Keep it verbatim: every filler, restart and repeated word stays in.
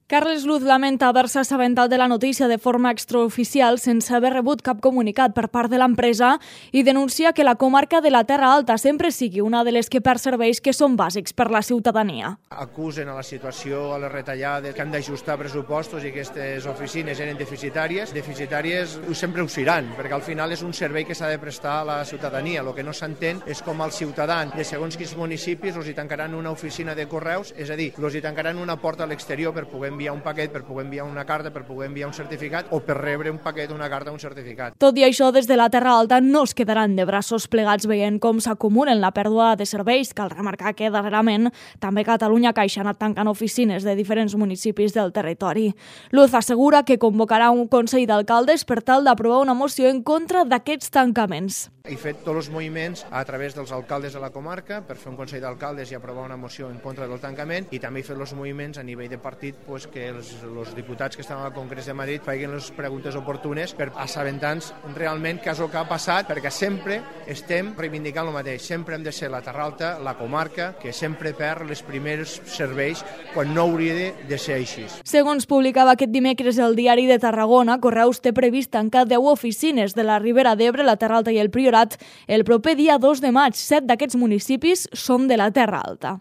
Carles Luz lamenta haver-se assabentat de la notícia de forma extraoficial sense haver rebut cap comunicat per part de l'empresa i denuncia que la comarca de la Terra Alta sempre sigui una de les que perd serveis que són bàsics per la ciutadania. Acusen a la situació, a les retallades, que han d'ajustar pressupostos i que aquestes oficines eren deficitàries. Deficitàries sempre ho seran, perquè al final és un servei que s'ha de prestar a la ciutadania. El que no s'entén és com als ciutadans de segons quins municipis els hi tancaran una oficina de correus, és a dir, els hi tancaran una porta a l'exterior per poder enviar un paquet, per poder enviar una carta, per poder enviar un certificat o per rebre un paquet, una carta o un certificat. Tot i això, des de la Terra Alta no es quedaran de braços plegats veient com s'acumulen la pèrdua de serveis. Cal remarcar que darrerament també Catalunya Caixa ha anat tancant oficines de diferents municipis del territori. Luz assegura que convocarà un Consell d'Alcaldes per tal d'aprovar una moció en contra d'aquests tancaments. He fet tots els moviments a través dels alcaldes de la comarca per fer un Consell d'Alcaldes i aprovar una moció en contra del tancament, i també he fet els moviments a nivell de partit pues, que els, els diputats que estan al Congrés de Madrid facin les preguntes oportunes per assabentar-nos realment què és el que ha passat, perquè sempre estem reivindicant el mateix. Sempre hem de ser la Terra Alta, la comarca, que sempre perd els primers serveis quan no hauria de, de ser així. Segons publicava aquest dimecres el Diari de Tarragona, Correus té previst tancar deu oficines de la Ribera d'Ebre, la Terra Alta i el Priorat el proper dia dos de maig. Set d'aquests municipis són de la Terra Alta.